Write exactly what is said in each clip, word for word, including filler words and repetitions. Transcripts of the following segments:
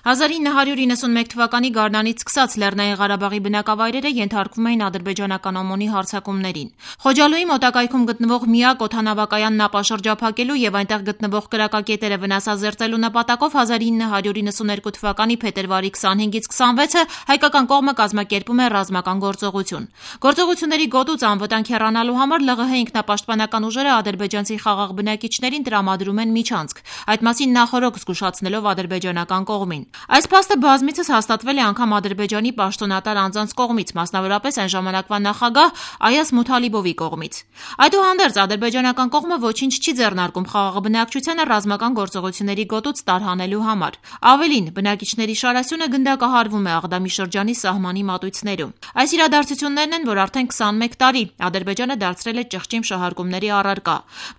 հազար ինը հարյուր իննսունմեկ թվականի գարնանից սկսած Լեռնային Ղարաբաղի բնակավայրերը ենթարկվում էին ադրբեջանական օմոնի հարձակումներին։ Խոջալույի մոտակայքում գտնվող միակ օդանավակայանն ապաշրջափակելու եւ այնտեղ գտնվող կրակակետերը վնասազերծելու նպատակով հազար ինը հարյուր իննսուներկու թվականի փետրվարի քսանհինգից քսանվեցը հայկական կողմը կազմակերպում է ռազմական գործողություն։ Գործողությունների գոտուց անվտանգ հեռանալու համար ԼՂՀ ինքնապաշտպանական ուժերը ադրբեջանցի խաղաղ բնակիչներին տրամադրում են միջանցք, այդ մասին նախօրոք զգուշացնելով ադրբեջանական կողմին։ Այս փաստը բազմիցս հաստատվել է անգամ Ադրբեջանի պաշտոնատար անձանց կողմից, մասնավորապես այն ժամանակվա նախագահ Այազ Մութալիբովի կողմից։ Այդուհանդերձ ադրբեջանական կողմը ոչինչ չի ձեռնարկում խաղաղ բնակչությանը ռազմական գործողությունների գոտուց տարհանելու համար։ Ավելին, բնակիչների շարասյունը գնդակահարվում է Աղդամի շրջանի սահմանի մատույցներում։ Այս իրադարձություններն են, որ արդեն քսանմեկ տարի Ադրբեջանը դարձրել է ճղճիմ շահարկումների առարկա։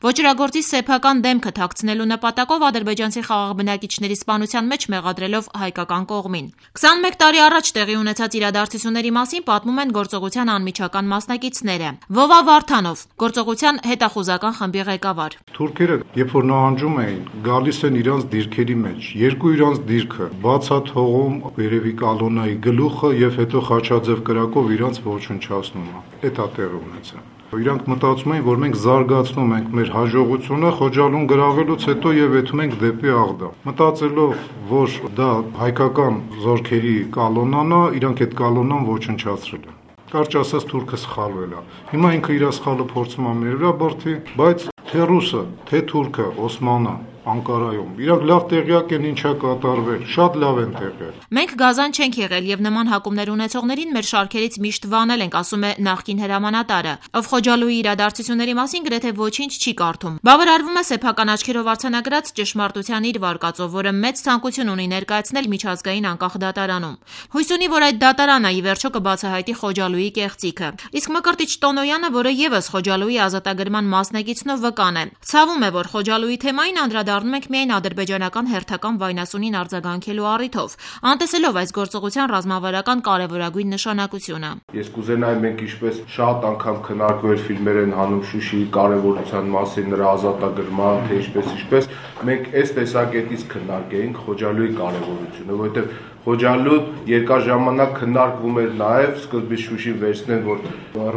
Ոճրագործի սեփական դեմքը թաքցնելու նպատակով ադրբեջանցի խաղաղ բնակիչների սպանության մեջ մեղադրելով հայկական կողմին։ քսանմեկ տարի առաջ տեղի ունեցած իրադարձությունների մասին պատմում են գործողության անմիջական մասնակիցները։ Վովա Վարդանով, գործողության հետախուզական խմբի ղեկավար։ Թուրքերը, երբ որ նահանջում էին, գալիս են իրանց դիրքերի մեջ, երկու իրանց դիրքը բաց է թողում երևի կալոնայի գլուխը եւ հետո խաչաձև կրակով իրանց ոչնչացնում է։ Դա տեղի ունեցավ։ Իրանք մտածում էին, որ մենք զարգացնում ենք մեր հաջողությունը Խոջալուն գրավելուց հետո եւ եթում ենք դեպի Աղդամ։ Մտածելով, որ դա հայկական զորքերի կալոնան է, իրանք այդ կալոնան ոչնչացրել են։ Կարճ ասած թուրքը սխալվել է։ Հիմա ինքը իր սխալը փորձում է մեր վրա բրդի, բայց թե ռուսը, թե թուրքը, Օսմանը Անկարայում իրանք լավ տեղյակ են ինչա կատարվել, շատ լավ են տեղյակ։ Մենք գազան չենք եղել եւ նման հակումներ ունեցողներին մեր շարքերից միշտ վանել ենք, ասում է նախկին հրամանատարը, ով Խոջալույի իրադարձությունների մասին գրեթե ոչինչ չի կարդում։ Բավարարվում է սեփական աչքերով արձանագրած ճշմարտության իր վարկածով, որը մեծ ցանկություն ունի ներկայացնել միջազգային անկախ դատարանում։ Հույս ունի, որ այդ դատարանը ի վերջո կբացահայտի Խոջալույի կեղծիքը։ Իսկ Մկրտիչ Տոնոյանը, որը եւս Խոջալույի ազատագրման մասնակիցն ու վկան է, ցավում է, որ Խոջալույի թեմային անդրադառնում ենք միայն ադրբեջանական հերթական վայնասունին արձագանքելու առիթով, անտեսելով այս գործողության ռազմավարական կարևորագույն նշանակությունը։ Ես կուզենայի մենք ինչպես շատ անգամ քննարկվել ֆիլմեր են հանում Շուշիի կարևորության մասին, նրա ազատագրման, թե ինչպես ինչպես մենք այս տեսակետից քննարկեինք Խոջալույի կարևորությունը, որովհետև Խոջալու երկար ժամանակ քննարկվում էր նաև սկզբից Շուշին վերցնեն, որ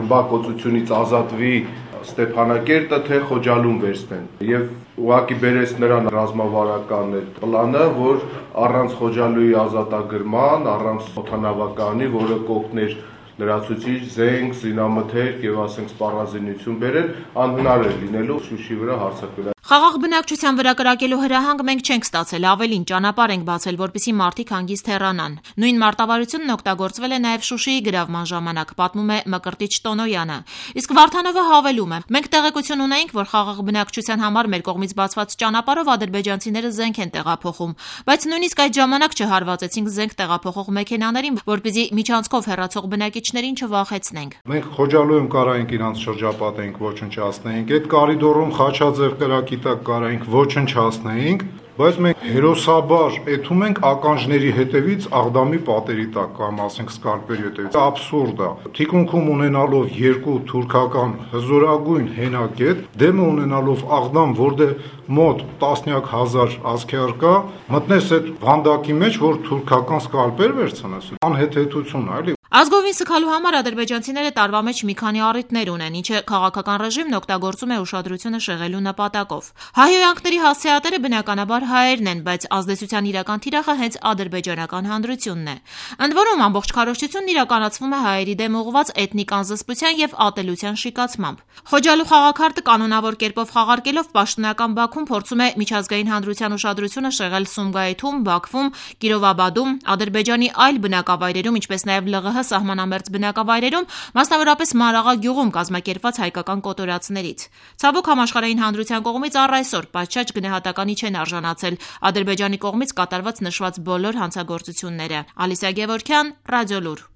ռմբակոծությունից ազատվի Ստեփանակերտը, թե Խոջալուն վերցնեն եւ ուղղակի բերեց նրան ռազմավարական այդ պլանը, որ առանց Խոջալույի ազատագրման, առանց օդանավականի, որը կօգներ լրացուցիչ, զենք, զինամթերք եւ ասենք սպառազինություն բերել, անհնար է լինելու Շուշի վրա հարձակվել։ Խաղաղ բնակչության վրա կրակելու հրահանգ մենք չենք ստացել, ավելին ճանապարհ ենք բացել, որպեսզի մարդիկ հանգիստ հեռանան։ Նույն մարտավարությունն օգտագործվել է նաև Շուշիի գրավման ժամանակ, պատմում է Մկրտիչ Տոնոյանը։ Իսկ Վարդանովը հավելում է. մենք տեղեկություն ունեինք, որ խաղաղ բնակչության համար մեր կողմից բացված ճանապարհով ադրբեջանցիները զենք են տեղափոխում, բայց նույնիսկ այդ ժամանակ չհարվածեցինք զենք տեղափոխող մեքենաներին, որպեսզի միջանցքով հեռացող բնակիչներին չվախեցնենք։ Մենք Խոջալույում կարայինք իրանց շրջապատենք, ոչնչացնեինք, այդ կարիդորում խաչաձև կրակի տակ կարայինք ոչնչացնեինք, բայց մենք հերոսաբար էթում ենք ականջների հետևից Աղդամի պատերի տակ կամ ասենք սկալպերի հետևից։ Աբսուրդ է։ Թիկունքում ունենալով երկու թուրքական հզորագույն հենակետ, դեմը ունենալով Աղդամ, որտեղ մոտ տասնյակ հազար ազգեր կա, մտնես այդ վանդակի մեջ, որ թուրքական սկալպեր վերցնես, անհեթեթություն է, էլի։ Ազգովին սգալու համար ադրբեջանցիները տարվա մեջ մի քանի առիթներ ունեն, ինչը քաղաքական ռեժիմն օգտագործում է ուշադրությունը շեղելու նպատակով։ Հայհոյանքների հասցեատերը բնականաբար հայերն են, բայց ազդեցության իրական թիրախը հենց ադրբեջանական հանրությունն է։ Ընդ որում ամբողջ քարոզչությունն իրականացվում է հայերի դեմ ուղղված էթնիկ անզսպության եւ ատելության շիկացմամբ։ Խոջալու խաղաքարտը կանոնավոր կերպով խաղարկելով պաշտոնական Բաքուն փորձում է միջազգային հանրության ուշադրությունը շեղել Սումգայիթում, Բաքվում, Կիրովաբադում, Ադրբեջանի այլ բնակավայրերում, ինչպես նաեւ ԼՂՀ սահմանամերձ բնակավայրերում, մասնավորապես Մարաղա գյուղում կազմակերպված հայկական կոտորածներից։ Ցավոք համաշխարհային հանրության կողմից առ այսօր պատշաճ գնահատականի չեն արժանացել Ադրբեջանի կողմից կատարված նշված բոլոր հանցագործությունները։ Ալիսա Գևորգյան, Ռադիոլուր։